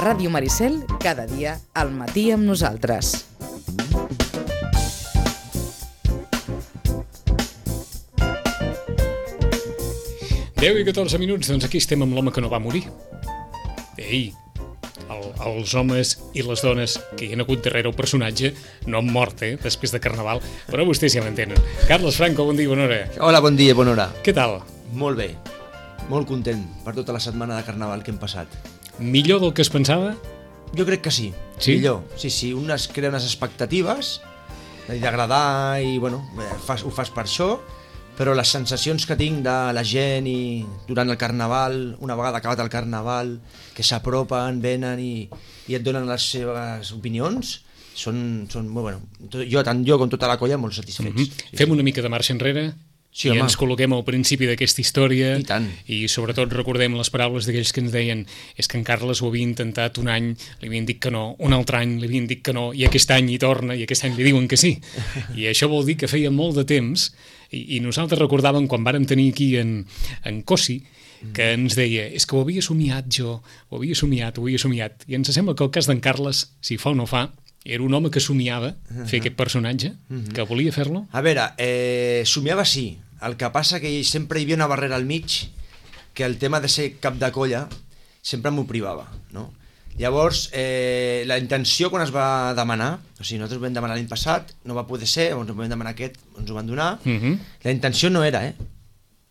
Ràdio Maricel, cada dia al matí amb nosaltres. Deu i 14 minuts, doncs aquí estem amb l'home que no va morir. Ei, els homes i les dones que hi han hagut darrere el personatge no han mort, després de Carnaval, però vostès ja m'entenen. Carles Franco, bon dia, bona hora. Hola, bon dia, bona hora. Què tal? Molt bé, molt content per tota la setmana de Carnaval que hem passat. Millor del que es pensava? Jo crec que sí, sí? Millor. Sí, un es crea unes expectatives d'agradar i, bueno, ho fas per això, però les sensacions que tinc de la gent i durant el Carnaval, una vegada acabat el Carnaval, que s'apropen, venen i et donen les seves opinions, són molt, bueno, tant jo com tota la colla molt satisfets. Fem una mica de marxa enrere i ens col·loquem al principi d'aquesta història i sobretot recordem les paraules d'aquells que ens deien és que en Carles ho havia intentat un any, li havien dit que no, un altre any li havien dit que no, i aquest any hi torna i aquest any li diuen que sí, i això vol dir que feia molt de temps i nosaltres recordàvem quan vàrem tenir aquí en Cosi que ens deia, és que ho havia somiat jo, ho havia somiat, i ens sembla que el cas d'en Carles, si fa o no fa, era un home que somiava fer aquest personatge, que volia fer-lo? A veure, somiava sí, el que passa que sempre hi havia una barrera al mig que el tema de ser cap de colla sempre m'ho privava, no? Llavors, la intenció quan es va demanar, o sigui, nosaltres ho vam demanar l'any passat, no va poder ser, ens ho vam demanar aquest, ens ho van donar, la intenció no era,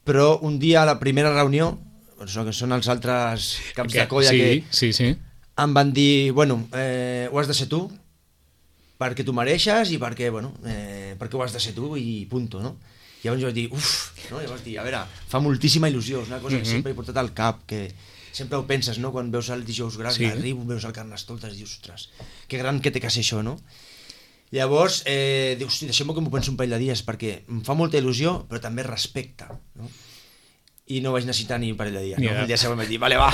però un dia a la primera reunió, que són els altres caps de colla que em van dir, bueno, ho has de ser tu, perquè tu mereixes i perquè, bueno, perquè ho has de ser tu i punto, no? Llavors jo vaig dir, no? Llavors vaig dir, a veure, fa moltíssima il·lusió, és una cosa que sempre he portat al cap, que sempre ho penses, no? Quan veus el dijous gran, arribo, veus el Carnestoltes i dius, ostres, que gran que té que ser això, no? Llavors, dius, deixem-ho que m'ho penso un parell de dies, perquè em fa molta il·lusió, però també respecte, no? I no vaig necessitar ni un parell de dies, no? El dia següent vaig dir, vale, va.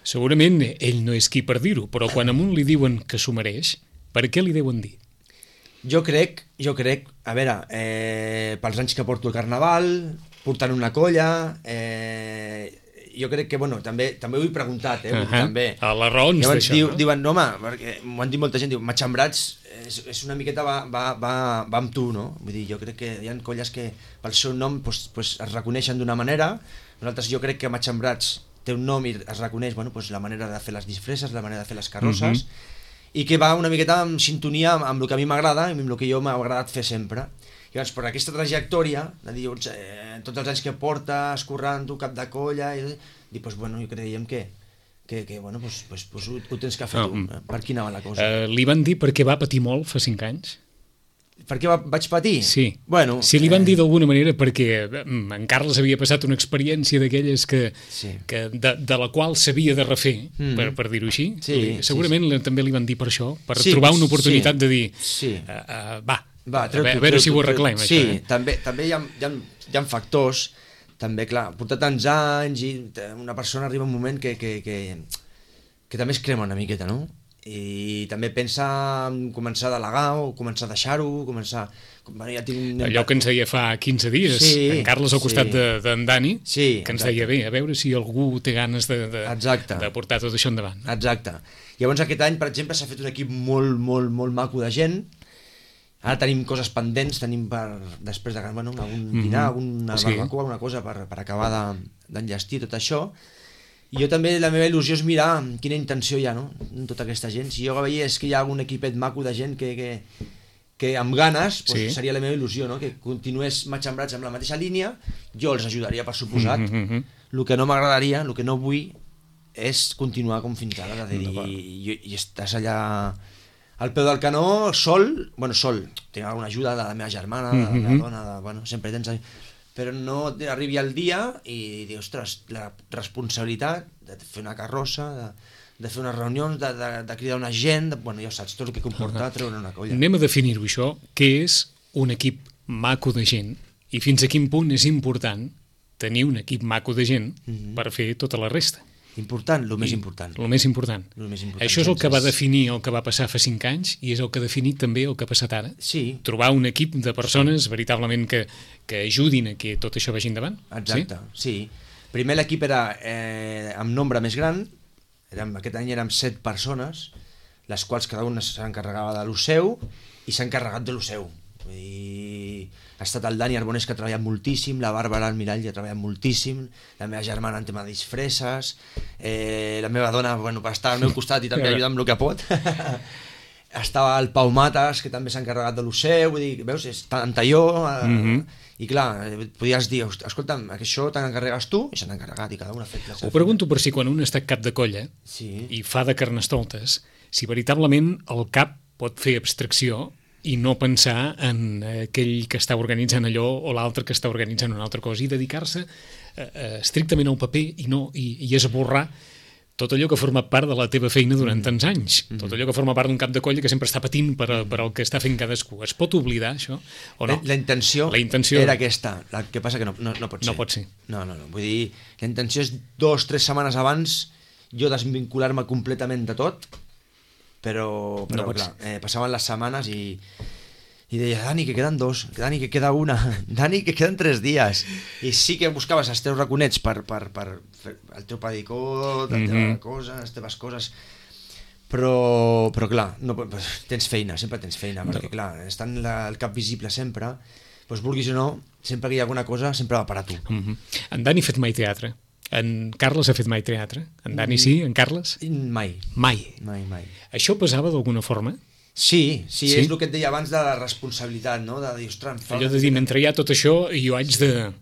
Segurament ell no és qui per dir-ho, però quan a un li diuen que s'ho mereix, per què li deuen dir? Jo crec, a veure, pels anys que porto el Carnaval, portant una colla, jo crec que, bueno, també ho he preguntat, també. A les raons d'això, no? Diuen, home, perquè m'ho han dit molta gent, diu, Matxembrats és una miqueta va amb tu, no? Vull dir, jo crec que hi ha colles que pel seu nom pues, es reconeixen d'una manera, nosaltres jo crec que Matxembrats té un nom i es reconeix, bueno, pues, la manera de fer les disfresses, la manera de fer les carrosses, i que va una miqueta en sintonia amb el que a mi m'agrada i amb el que jo m'ha agradat fer sempre. I llavors, per aquesta trajectòria, de dir, tots els anys que portes, currant-ho, cap de colla, i pues, bueno, jo creiem que bueno, pues, ho tens que fer tu. Per aquí anava la cosa. Li van dir perquè va patir molt fa 5 anys? Per què vaig patir? Sí. Bueno, si li van dir d'alguna manera perquè en Carles havia passat una experiència d'aquelles que de la qual s'havia de refer, per dir-ho així. Segurament també li van dir per això, per trobar una oportunitat de dir va, a veure si ho arreglem. Sí, també hi ha factors, també, clar, portar tants anys i una persona arriba un moment que també es crema una miqueta, no? I també pensa en començar a delegar o començar a deixar-ho, ja tinc allò que ens deia fa 15 dies, en Carles al costat d'en Dani, que ens deia, bé, a veure si algú té ganes de portar tot això endavant. Exacte. Llavors aquest any, per exemple, s'ha fet un equip molt, molt, molt maco de gent. Ara tenim coses pendents, tenim després de algun dinar, alguna barbacoa, alguna cosa per acabar d'enllestir tot això. I jo també, la meva il·lusió és mirar quina intenció hi ha, no?, en tota aquesta gent. Si jo veia que hi ha algun equipet maco de gent que amb ganes, pues, seria la meva il·lusió, no?, que continués Matxembrats amb la mateixa línia, jo els ajudaria, per suposat. El que no m'agradaria, el que no vull, és continuar com fins ara, de dir, i estàs allà al peu del canó, sol, tinc alguna ajuda de la meva germana, de la meva dona, sempre tens... però no arribi al dia i dir, ostres, la responsabilitat de fer una carrossa, de fer unes reunions, de cridar una gent, bueno, ja saps, tot el que comporta treure una colla. Anem a definir-ho això, què és un equip maco de gent i fins a quin punt és important tenir un equip maco de gent per fer tota la resta. Important, el més important. El més important. Això és el que va definir el que va passar fa 5 anys i és el que ha definit també el que ha passat ara. Sí. Trobar un equip de persones veritablement que ajudin a que tot això vagi endavant. Exacte, sí. Primer l'equip era amb nombre més gran, Aquest any érem 7 persones, les quals cada una s'encarregava de lo seu i s'ha encarregat de lo seu. Ha estat el Dani Arbonés, que ha treballat moltíssim, la Bàrbara Almirall, que ha treballat moltíssim, la meva germana en tema de disfresses, la meva dona, bueno, va estar al meu costat i també ajuda amb el que pot. Estava el Pau Matas, que també s'ha encarregat de lo seu, vull dir, veus, és tant talló, i clar, podies dir, escolta'm, això te n'encarregues tu, i se n'ha encarregat, i cada un ha fet la seva. Ho pregunto per si quan un està cap de colla i fa de carnestoltes, si veritablement el cap pot fer abstracció i no pensar en aquell que està organitzant allò o l'altre que està organitzant una altra cosa, i dedicar-se estrictament al paper i esborrar tot allò que forma part de la teva feina durant tants anys, tot allò que forma part d'un cap de colla que sempre està patint per el que està fent cadascú. Es pot oblidar, això? O no? La intenció era aquesta, el que passa que no pot ser. No pot ser. No. Vull dir, la intenció és 2 o 3 setmanes abans jo desvincular-me completament de tot, però clar, passaven les setmanes i deia, Dani, que queden 2, Dani, que queda 1, Dani, que queden 3 dies. I sí que buscaves els teus raconets per fer el teu pedicot, les teves coses, però clar, tens feina, sempre tens feina, perquè clar, estant el cap visible sempre, doncs vulguis o no, sempre que hi ha alguna cosa, sempre va per a tu. En Dani ha fet mai teatre? En Carles ha fet mai teatre? En Dani sí? En Carles? Mai. Això pesava d'alguna forma? Sí, és el que et deia abans de la responsabilitat, no? De dir, ostres... Allò de dir, mentre hi ha tot això, jo haig de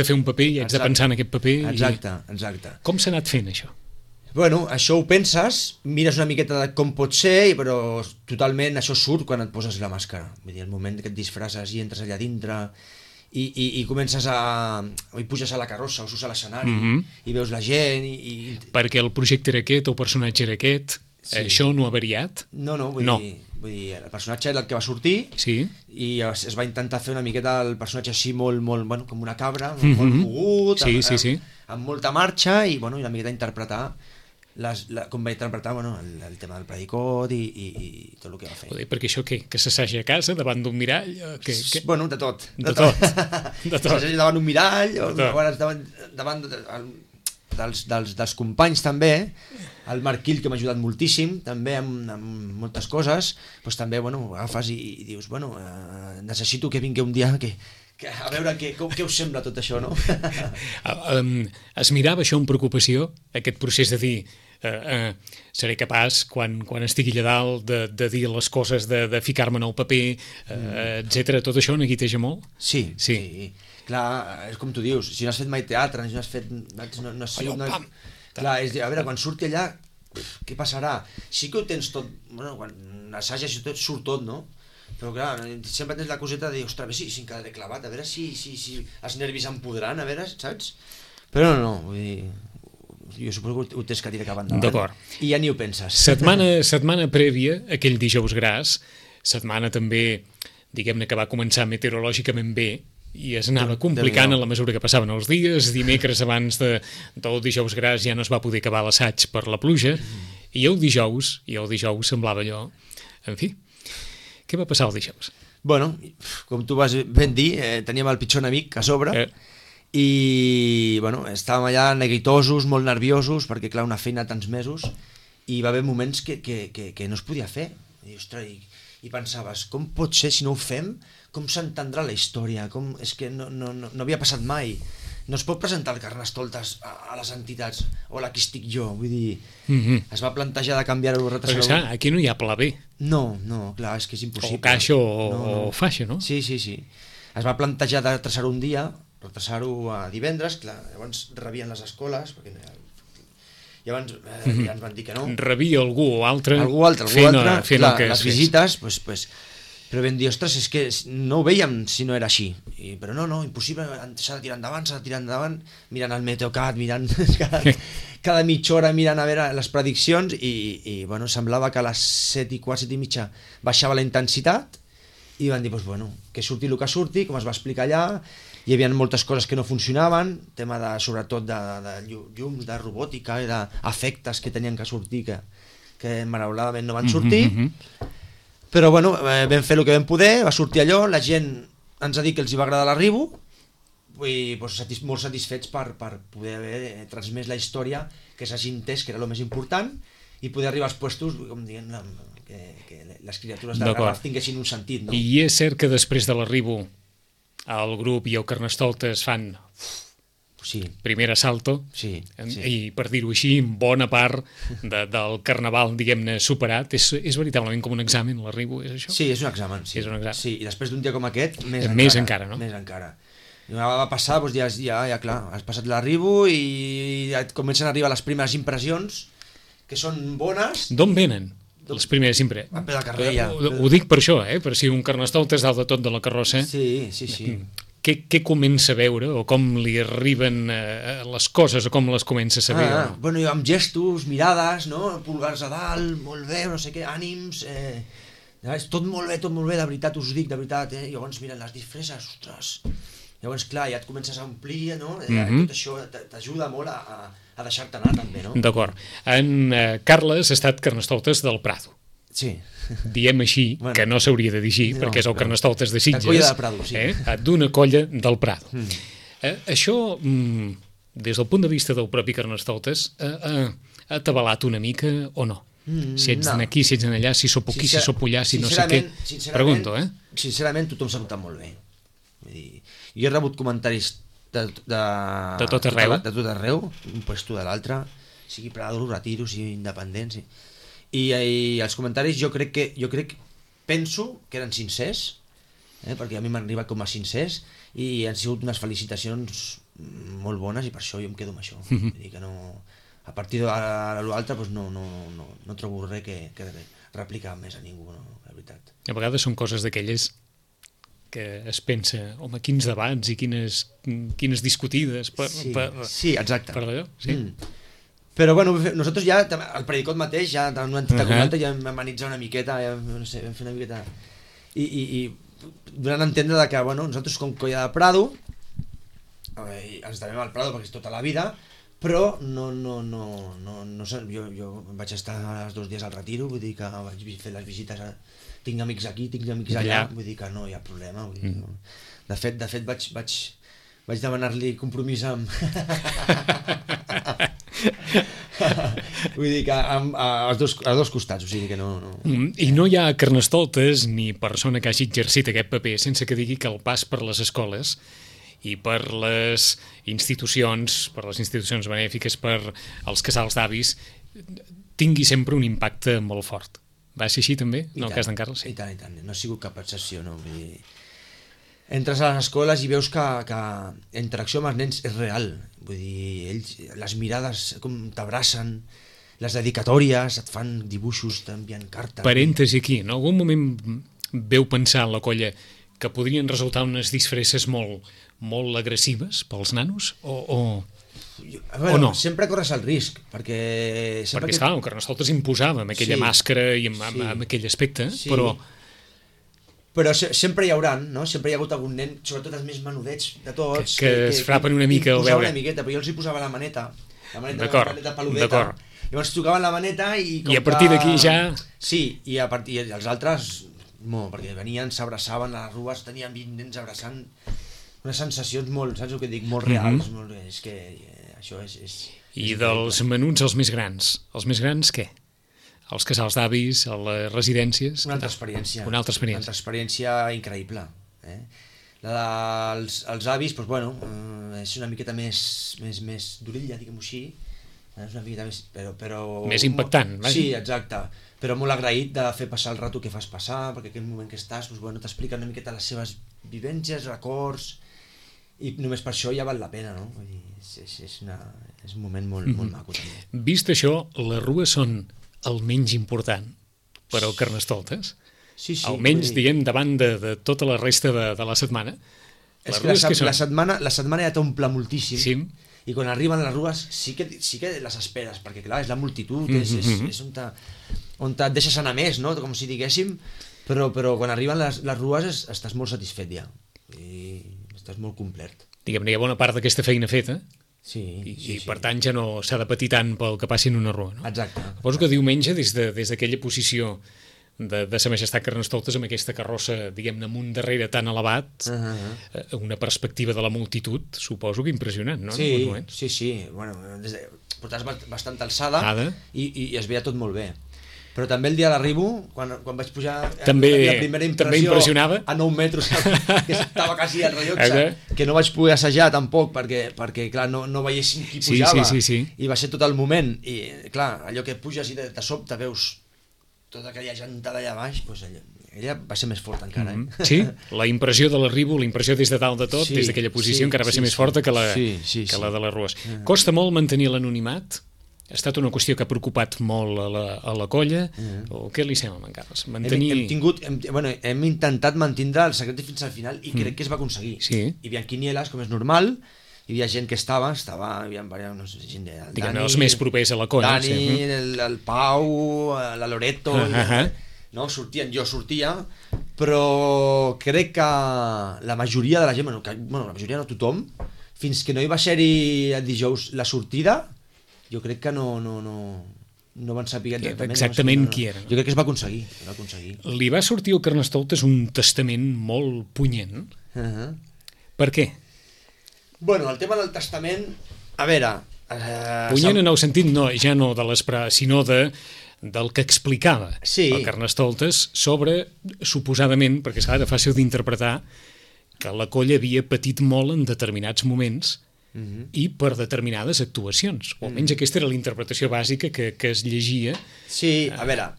fer un paper i haig de pensar en aquest paper. Exacte. Com s'ha anat fent, això? Bueno, això ho penses, mires una miqueta de com pot ser, però totalment això surt quan et poses la màscara. Vull dir, el moment que et disfresses i entres allà dintre i comences i puges a la carrossa o surts a l'escenari i veus la gent Perquè el projecte era aquest o el personatge era aquest, això no ha variat? No, vull dir, el personatge era el que va sortir i es va intentar fer una miqueta el personatge així molt, bueno, com una cabra, molt mogut, amb molta marxa i una miqueta interpretar com va interpretar el tema del predicot i tot el que va fer. Perquè això què? Que s'assaja a casa davant d'un mirall? Bueno, de tot. S'assaja davant d'un mirall, davant dels companys també, el Marquil, que m'ha ajudat moltíssim també amb moltes coses, doncs també agafes i dius, necessito que vingui un dia a veure què us sembla tot això, no? Es mirava això amb preocupació, aquest procés de dir seré capaç quan estigui allà dalt de dir les coses, de ficar-me en el paper, etc. Tot això neguiteja molt? Sí. Clar, és com tu dius, si no has fet mai teatre, si no has fet... Clar, és dir, a veure, quan surti allà, què passarà? Sí que ho tens tot, quan assages i tot, surt tot, no? Però clar, sempre tens la coseta de dir, ostres, a veure si em quedaré clavat, a veure si els nervis em podran, a veure, saps? Però no, vull dir... Jo suposo que ho tens que tirar cap endavant. D'acord. I ja ni ho penses. Setmana prèvia, aquell dijous gras, setmana també, diguem-ne que va començar meteorològicament bé, i es anava complicant a la mesura que passaven els dies. Dimecres abans del dijous gras ja no es va poder acabar l'assaig per la pluja, i el dijous semblava allò... En fi, què va passar el dijous? Bueno, com tu vas ben dir, teníem el pitjor enemic a sobre, i estàvem allà neguitosos, molt nerviosos, perquè clar, una feina de tants mesos, i va haver moments que no es podia fer. I pensaves, com pot ser si no ho fem? Com s'entendrà la història? És que no havia passat mai. No es pot presentar el Carnestoltes a les entitats, o a la que estic jo, vull dir, es va plantejar de canviar-ho, retrasar-ho. Perquè aquí no hi ha pla B. No, clar, és que és impossible. O caixa o faixa, no? Sí. Es va plantejar de retrasar-ho un dia, retrasar-ho a divendres, clar, llavors rebien les escoles, perquè llavors ja ens van dir que no. Rebia algú altre fent les visites, però vam dir, ostres, és que no ho veiem si no era així, però no, impossible, s'ha de tirar endavant, mirant el Meteocat, mirant cada mitja hora, mirant a veure les prediccions, i semblava que a les 7:15, 7:30 baixava la intensitat, i van dir, que surti el que surti, com es va explicar allà. Hi havia moltes coses que no funcionaven, tema sobretot de llums, de robòtica i d'efectes que tenien que sortir, que malauradament no van sortir, però vam fer el que vam poder, va sortir allò, la gent ens ha dit que els hi va agradar l'arribo, molt satisfets per poder haver transmès la història, que s'hagi entès que era el més important, i poder arribar als puestos, com dient, que les criatures de Garraf tinguessin un sentit, no? I és cert que després de l'arribo el grup i el Carnestoltes fan primer assalto, i per dir-ho així, bona part del carnaval, diguem-ne, superat. És veritablement com un examen, l'arribo, és això? Sí, és un examen. Sí, i després d'un dia com aquest, més encara, no? Més encara. Va passar, doncs ja clar, has passat l'arribo i et comencen a arribar les primeres impressions, que són bones. D'on venen les primeres impressions? A peu de carrer, ja. Ho dic per això, per si un Carnestoltes dalt de tot de la carrossa. Sí. Què comença a veure, o com li arriben les coses, o com les comença a saber? Bueno, amb gestos, mirades, no? Pulgars a dalt, molt bé, no sé què, ànims, tot molt bé, de veritat, us ho dic, de veritat, i llavors miren les disfresses, ostres, llavors clar, ja et comences a omplir, no? Tot això t'ajuda molt a deixar-te anar també, no? D'acord. En Carles ha estat Carnestoltes del Prado. Sí. Diem així, que no s'hauria de dir així, perquè és el Carnestoltes de Sitges. La colla del Prado, sí. D'una colla del Prado. Això, des del punt de vista del propi Carnestoltes, ha atabalat una mica o no? Si ets aquí, si ets allà, si sóc aquí, si sóc allà, si no sé què. Pregunto, Sincerament, tothom s'ha notat molt bé. Jo he rebut comentaris de tot arreu, un puesto de l'altre, sigui Prado, Retiro, sigui independent, i els comentaris jo penso que eren sincers, perquè a mi m'han arribat com a sincers i han sigut unes felicitacions molt bones, i per això jo em quedo amb això. Vull dir que no, a partir de l'altre no trobo res que replicar més a ningú, la veritat. A vegades són coses d'aquelles que es pensa, home, quins debats i quines discutides sí, exacte. Per allò, sí. Però bueno, nosaltres ja, el Predicot mateix, ja en una entitat com l'altra, ja vam amenitzar una miqueta, ja, no sé, vam fer una miqueta... I donant a entendre que, bueno, nosaltres com Colla de Prado, ens devem al Prado perquè és tota la vida, però jo vaig estar els 2 dies al Retiro, vull dir que vaig fer les visites, tinc amics aquí, tinc amics allà, vull dir que no hi ha problema. Vull dir, no. De fet vaig demanar-li compromís amb... Vull dir que als dos costats, o sigui que no... I no hi ha Carnestoltes ni persona que hagi exercit aquest paper sense que digui que el pas per les escoles i per les institucions benèfiques, per els casals d'avis, tingui sempre un impacte molt fort. Va ser així també, en el cas d'en Carles? I tant, no ha sigut cap excepció, no? Vull dir... Entres a les escoles i veus que la interacció amb els nens és real. Vull dir, ells, les mirades com t'abracen, les dedicatòries, et fan dibuixos, t'envien cartes. Parèntesi aquí, en algun moment veu pensar a la colla que podrien resultar unes disfresses molt agressives pels nanos? O no? Sempre corres el risc, perquè... Perquè, el Carnestoltes imposava amb aquella màscara i amb aquell aspecte, però sempre hi haurà, no? Sempre hi ha hagut algun nen, sobretot els més menudets de tots, que es frapen una mica al veure. Una miqueta, però jo els hi posava la maneta peludeta. Llavors tocaven la maneta i a partir d'aquí ja... Sí, i els altres, perquè venien, s'abraçaven a les rues, tenien 20 nens abraçant, unes sensacions molt, saps el que dic, molt reals, és que això és... I dels menuts als més grans què? Els casals d'avis, a les residències... Una altra experiència increïble. Els avis, doncs, bueno, és una miqueta més d'orella, diguem-ho així, és una miqueta més... Però més impactant, vaja. Sí, exacte, però molt agraït de fer passar el rato que fas passar, perquè aquell moment que estàs, doncs, bueno, t'explica una miqueta les seves vivències, records, i només per això ja val la pena, no? Vull dir, és un moment molt maco, també. Vist això, les rues són el menys important per al Carnestoltes, almenys diguem davant de tota la resta de la setmana. És que la setmana ja t'omple moltíssim, i quan arriben les rues sí que les esperes, perquè clar, és la multitud, és on et deixes anar més, no? Com si diguéssim, però quan arriben les rues estàs molt satisfet ja, i estàs molt complet. Diguem-ne, hi ha bona part d'aquesta feina feta, i per tant ja no s'ha de patir tant pel que passi en una rua, no? Exacte. Suposo que diumenge, des d'aquella posició de sa majestat Carnestoltes amb aquesta carrossa, diguem-ne, amb un darrere tan elevat, una perspectiva de la multitud, suposo que impressionant, no? Sí. Bueno, portaves bastant alçada i es veia tot molt bé. Però també el dia de l'arribo, quan vaig pujar, la primera impressió a 9 metres, que estava quasi al rellotge, que no vaig poder assajar tampoc, perquè clar, no veiessin qui pujava, i va ser tot el moment, i clar, allò que puges i de sobte veus tota aquella gentada allà baix, doncs ella va ser més forta encara. Sí, la impressió de l'arribo, la impressió des de dalt de tot, des d'aquella posició, encara va ser més forta que la de les rues. Costa molt mantenir l'anonimat? Ha estat una qüestió que ha preocupat molt a la colla, o què li sembla, en Carles? Hem intentat mantindre el secret fins al final i crec que es va aconseguir. Hi havia quinieles, com és normal, hi havia gent que hi havia gent de Dani, els més propers a la colla. Dani, el Pau, la Loreto, no? Jo sortia, però crec que la majoria de la gent, la majoria no tothom, fins que no hi va ser-hi el dijous la sortida, jo crec que no van saber exactament qui era. Jo crec que es va aconseguir. Li va sortir al Carnestoltes un testament molt punyent. Per què? Bueno, el tema del testament, a veure... Punyent en el sentit, ja no de l'esperar, sinó del que explicava el Carnestoltes sobre, suposadament, perquè és fàcil d'interpretar, que la colla havia patit molt en determinats moments i per determinades actuacions. O almenys aquesta era la interpretació bàsica que es llegia. Sí, a veure,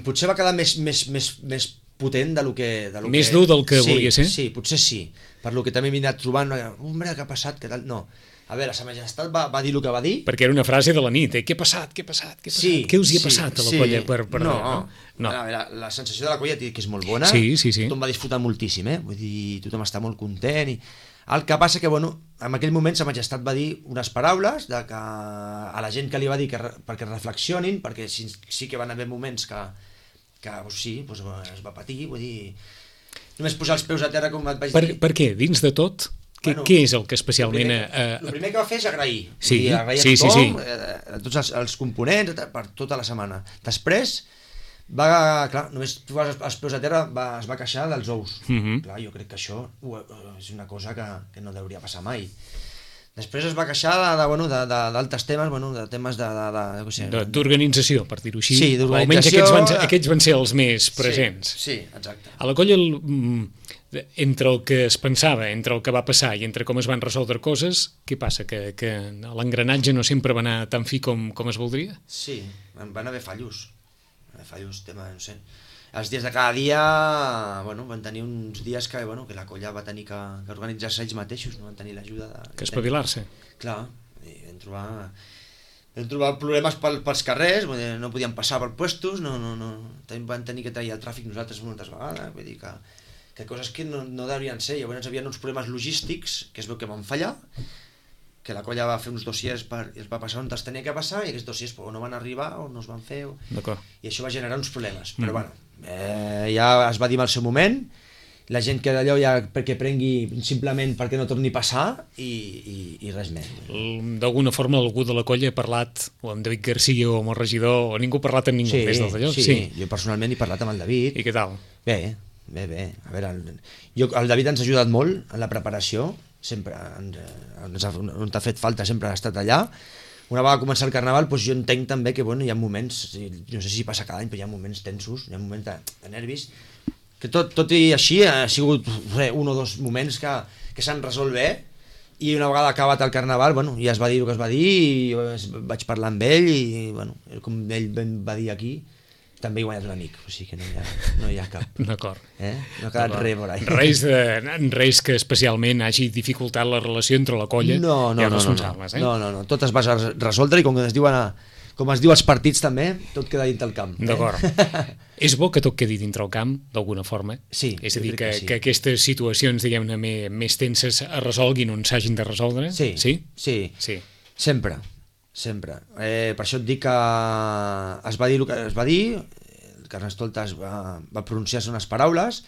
potser va quedar més potent del que... Més dur del que volia ser? Sí, potser sí. Per lo que també m'he anat trobant, hombre, què ha passat, què tal... No. A veure, sa majestat va dir el que va dir... Perquè era una frase de la nit, què ha passat? Què us hi ha passat a la colla? No. A veure, la sensació de la colla que és molt bona. Tothom va disfrutar moltíssim, Vull dir, tothom està molt content i... El que passa que, en aquell moment sa majestat va dir unes paraules a la gent que li va dir perquè reflexionin, perquè sí que van haver moments que es va patir, vull dir, només posar els peus a terra, com et vaig dir. Per què? Dins de tot? Què és el que especialment... El primer que va fer és agrair. Agrair a tothom, a tots els components, per tota la setmana. Després... només posar els peus a terra es va queixar dels ous. Clar, jo crec que això és una cosa que no hauria passar mai. Després es va queixar d'altres temes, de temes d'organització, per dir-ho així. Sí, d'organització. Almenys aquests van ser els més presents. Sí, exacte. A la colla, entre el que es pensava, entre el que va passar i entre com es van resoldre coses, què passa? Que l'engranatge no sempre va anar tan fi com es voldria? Sí, van haver fallos, tema, no sé. Els dies de cada dia, van tenir uns dies que la colla va tenir que organitzar-se ells mateixos, no van tenir l'ajuda de... Que espavilar-se. Clar, vam trobar problemes pels carrers, no podíem passar per puestos, van tenir que tallar el tràfic nosaltres moltes vegades, vull dir que coses que no deurien ser. Llavors hi havia uns problemes logístics que es veu que van fallar, que la colla va fer uns dossiers i els va passar on els tenia que passar i aquests dossiers o no van arribar o no es van fer i això va generar uns problemes, però ja es va dir en el seu moment, la gent que d'allò ja perquè prengui simplement perquè no torni a passar i res més. D'alguna forma algú de la colla ha parlat o amb David Garcia o amb el regidor o ningú ha parlat amb ningú des del d'allò? Sí, jo personalment he parlat amb el David. I què tal? Bé, a veure, el David ens ha ajudat molt en la preparació, sempre on t'ha fet falta sempre ha estat allà. Una vegada començar el Carnaval, jo entenc també que hi ha moments, no sé si passa cada any, però hi ha moments tensos, hi ha moments de nervis, que tot i així ha sigut un o dos moments que s'han resolt bé, i una vegada acabat el Carnaval ja es va dir el que es va dir i vaig parlar amb ell i com ell va dir aquí, també he guanyat un amic, o sigui que no hi ha cap. D'acord. No ha quedat res por ahí. Res que especialment hagi dificultat la relació entre la colla i els responsables. No, tot es va resoldre i com es diu als partits també, tot queda dintre el camp. D'acord. És bo que tot quedi dintre el camp, d'alguna forma? Sí. És a dir, que aquestes situacions, diguem-ne, més tenses es resolguin on s'hagin de resoldre? Sí. Sempre. Per això et dic que es va dir el que es va dir, el Carnestoltes va pronunciar-se unes paraules,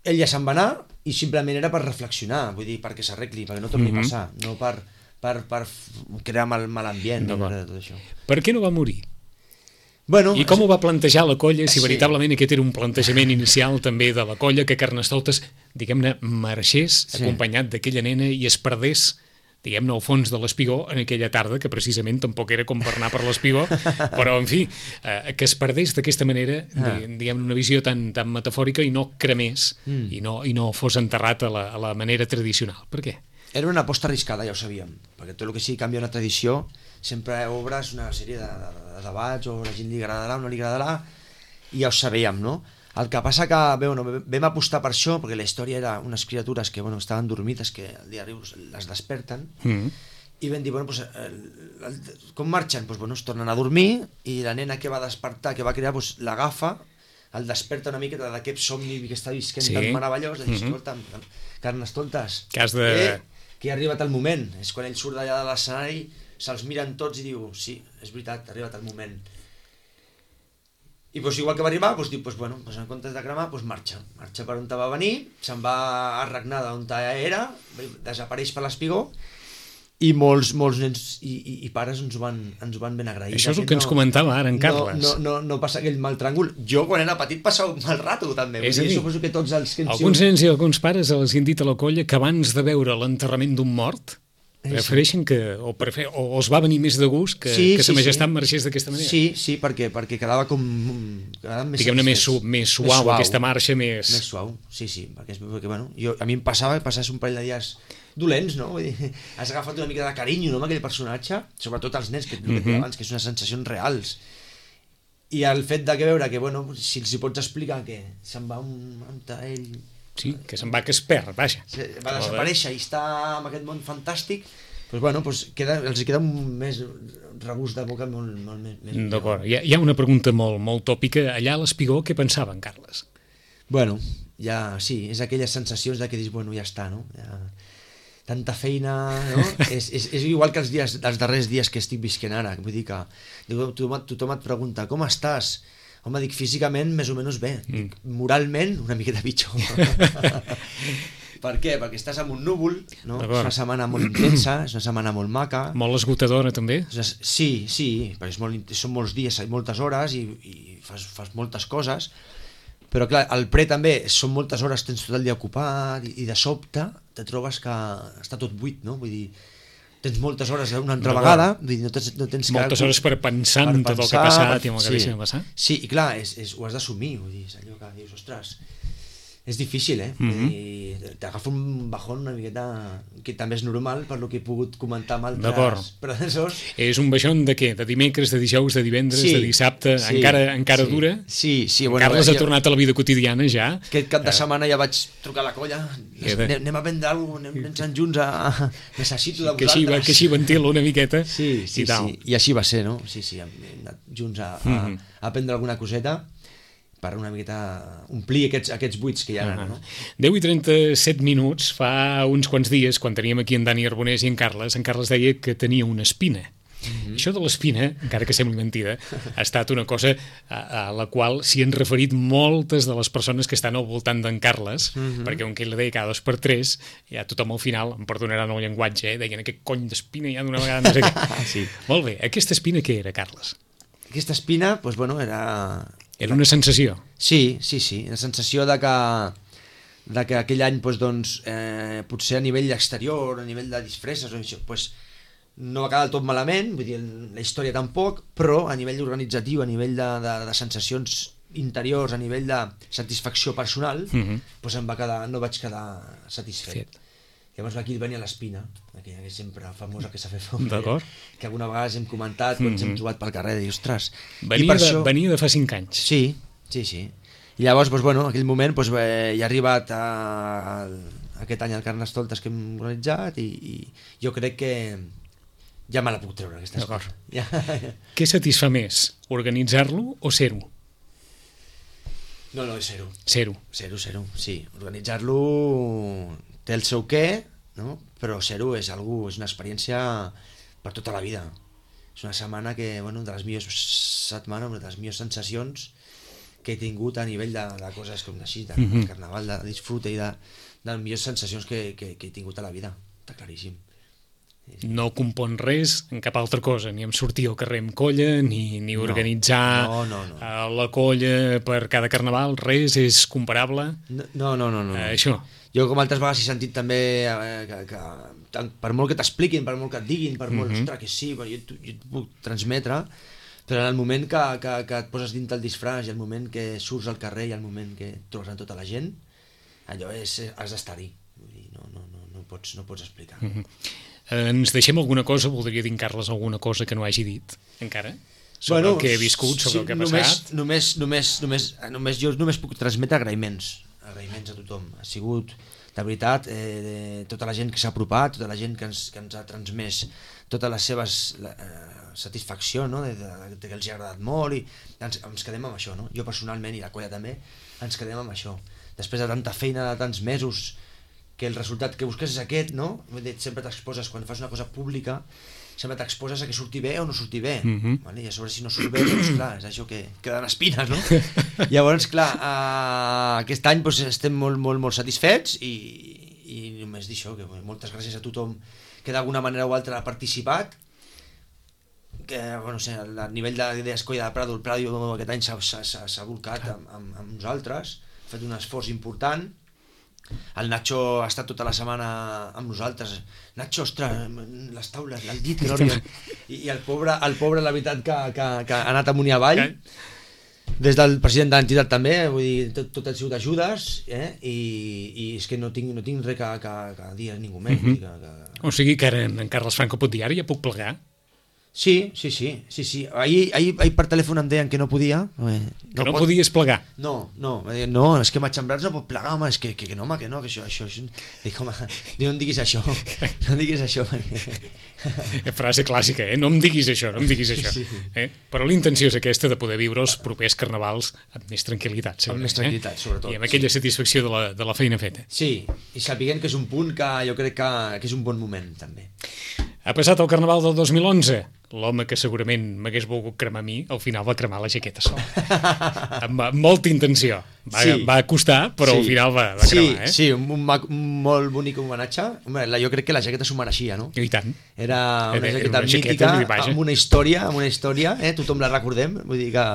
ell ja se'n va anar i simplement era per reflexionar, vull dir, perquè s'arregli, perquè no torni a passar, no per crear mal ambient. Tot això. Per què no va morir? Bueno, i com ho va plantejar la colla, si veritablement aquest era un plantejament inicial també de la colla, que Carnestoltes, diguem-ne, marxés acompanyat d'aquella nena i es perdés, diguem-ne, al fons de l'Espigó en aquella tarda, que precisament tampoc era com per anar per l'Espigó, però, en fi, que es perdés d'aquesta manera, diguem-ne, una visió tan metafòrica i no cremés, i no fos enterrat a la manera tradicional. Per què? Era una aposta arriscada, ja ho sabíem, perquè tot el que sigui canviar una tradició sempre obres una sèrie de debats, o a la gent li agradarà o no li agradarà, i ja ho sabíem, no? El que passa que vam apostar per això, perquè la història era unes criatures que estaven dormides, que el dia les desperten, i vam dir, com marxen? Es tornen a dormir, i la nena que va despertar, que va crear, l'agafa, el desperta una miqueta d'aquest somni que està visquent tan meravellós, de dir, escolta, Carnestoltes, que ja ha arribat el moment. És quan ell surt d'allà de l'escenari, se'ls miren tots i diu, sí, és veritat, ha arribat el moment. I igual que va arribar, diu, en comptes de cremar, marxa per on va venir, se'n va a regnar d'on era, desapareix per l'Espigó, i molts nens i pares ens ho van ben agrair. Això és el que ens comentava ara en Carles. No passa aquell mal tràngol. Jo, quan era petit, passava un mal rato, també. Suposo que tots els que alguns nens i alguns pares els han dit a la colla que abans de veure l'enterrament d'un mort prefereixen o es va venir més de gust que Sa Majestat marxés d'aquesta manera. Sí, perquè quedava com... Diguem-ne més suau, aquesta marxa més... Més suau, sí, perquè a mi em passava un parell de dies dolents, no? Vull dir, has agafat una mica de carinyo, no?, amb aquell personatge, sobretot els nens, que et deia abans, que són unes sensacions reals. I el fet de veure que, si els hi pots explicar que se'n va ell... Sí, que se'n va, que es perd, vaja. Va desaparèixer i està en aquest món fantàstic, els queda un més regust de boca molt més... D'acord. Hi ha una pregunta molt tòpica. Allà a l'Espigó, què pensava en Carles? Sí, és aquelles sensacions de que dius, ja està, no? Tanta feina, no? És igual que els darrers dies que estic visquent ara. Vull dir que tothom et pregunta, com estàs? Home, dic, físicament més o menys bé. Dic, moralment, una miqueta pitjor. Per què? Perquè estàs amb un núvol, no? És una setmana molt intensa, és una setmana molt maca. Molt esgotadora, també? Sí, perquè són molts dies, moltes hores i fas moltes coses, però clar, al pre també són moltes hores, tens tot el dia ocupat i de sobte te trobes que està tot buit, no? Vull dir, tens moltes hores una altra vegada, no tens moltes hores per pensar en tot el que ha passat i en el que deixa de passar. Sí, i clar, ho has d'assumir, vull dir, és allò que dius, ostres, és difícil, t'agafa un bajón una miqueta, que també és normal per lo que he pogut comentar amb altres predecessors. És un baixón de què? De dimecres, de dijous, de divendres, de dissabte, encara dura? Sí. Carles ha tornat a la vida quotidiana ja. Aquest cap de setmana ja vaig trucar a la colla, anem a vendre alguna cosa, anem junts a... necessito de vosaltres. Que així ventila una miqueta. Sí, i així va ser, no? Sí, hem anat junts a prendre alguna coseta per una miqueta omplir aquests buits que hi ha ara, no? 10 i 37 minuts, fa uns quants dies, quan teníem aquí en Dani Arbonés i en Carles deia que tenia una espina. Això de l'espina, encara que sembli mentida, ha estat una cosa a la qual s'hi han referit moltes de les persones que estan al voltant d'en Carles, perquè on que ell la deia cada 2 per 3, ja tothom al final, em perdonaran el llenguatge, deien aquest cony d'espina ja d'una vegada, no sé què. Molt bé, aquesta espina què era, Carles? Aquesta espina, era... Era una sensació. Sí, la sensació de que aquell any potser a nivell exterior, a nivell de disfresses no va quedar del tot malament, vull dir, la història tampoc, però a nivell organitzatiu, a nivell de sensacions interiors, a nivell de satisfacció personal, no vaig quedar satisfet. Llavors aquí venia l'espina, aquella que sempre famosa que s'ha fet fora, que alguna vegada hem comentat, quan ens hem trobat pel carrer, i ostres... Venia de fa 5 anys. Sí. I llavors, aquell moment ja ha arribat aquest any el Carnestoltes que hem organitzat i jo crec que ja me la puc treure, aquesta espina. Què satisfà més, organitzar-lo o ser-ho? No, és ser-ho. Ser-ho, sí. Organitzar-lo té el seu què, no? Però ser-ho és una experiència per tota la vida. És una setmana que, de les millors setmanes, de les millors sensacions que he tingut a nivell de coses com així, de carnaval, de disfrute i de les millors sensacions que he tingut a la vida, està claríssim. No compon res en cap altra cosa, ni en sortir al carrer amb colla, ni organitzar la colla per cada carnaval, res és comparable? No. Això. Jo com altres vegades he sentit també que per molt que t'expliquin, per molt que et diguin, per molt que sí, jo et puc transmetre, però en el moment que et poses dins el disfraç i el moment que surts al carrer i el moment que et trobes amb tota la gent, allò has d'estar-hi, no pots explicar. Ens deixem alguna cosa? Voldria dir en Carles alguna cosa que no hagi dit encara? Sobre el que he viscut, sobre el que ha passat? Només jo només puc transmetre agraïments a tothom. Ha sigut, de veritat, tota la gent que s'ha apropat, tota la gent que ens ha transmès totes les seves satisfacció, no? que els ha agradat molt, i ens quedem amb això, no? Jo personalment i la colla també ens quedem amb això. Després de tanta feina, de tants mesos, que el resultat que busques és aquest, no? Sempre t'exposes, quan fas una cosa pública, sempre t'exposes a que surti bé o no surti bé, vale? I a sobre si no surt bé, doncs clar, és això que queden espines, no? Llavors, clar, aquest any doncs, estem molt satisfets i només dir això, que moltes gràcies a tothom que d'alguna manera o altra ha participat, que, bueno, a nivell d'idees Colla de Prado, el Prado aquest any s'ha volcat amb nosaltres, ha fet un esforç important. El Nacho ha estat tota la setmana amb nosaltres. Nacho, ostres, les taules, l'ha dit que no arriba. I el pobre, la veritat, que ha anat amunt i avall. Des del president de l'entitat també, vull dir, tot ha sigut ajudes, i és que no tinc res que dir a ningú més. O sigui que ara en Carles Franco pot dir, ara ja puc plegar? Sí. Ahir per telèfon em deien que no podia. Que no podies plegar? No, és que Matxembrats no pot plegar, home, és que no, que això... Dic, home, no em diguis això, Frase clàssica, no em diguis això. Sí. Però la intenció és aquesta de poder viure els propers carnavals amb més tranquil·litat. Amb més tranquil·litat, sobretot. I amb aquella satisfacció de la feina feta. Sí, i sapiguem que és un punt que jo crec que és un bon moment, també. Ha passat el Carnaval del 2011. L'home que segurament m'hagués volgut cremar a mi, al final va cremar la jaqueta sol. Amb molta intenció. Va costar, però al final va cremar. Sí, un molt bonic homenatge. Jo crec que la jaqueta s'ho mereixia, no? I tant. Era una jaqueta mítica, amb una història, tothom la recordem, vull dir que...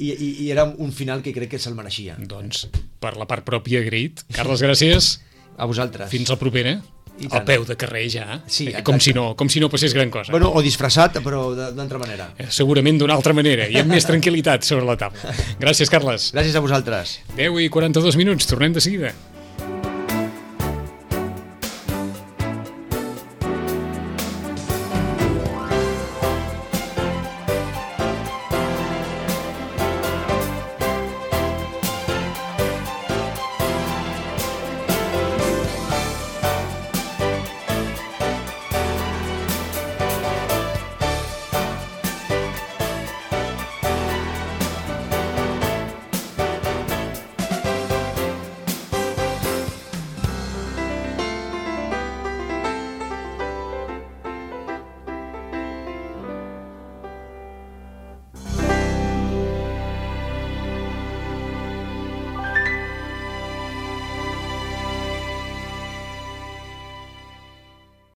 I era un final que crec que se'l mereixia. Doncs, per la part pròpia, agraït. Carles, gràcies. A vosaltres. Fins la propera. Al peu de carrer ja, com si no passés gran cosa. Bueno, o disfressat, però d'una altra manera. Segurament d'una altra manera, i amb més tranquil·litat sobre la taula. Gràcies, Carles. Gràcies a vosaltres. 10:42, tornem de seguida.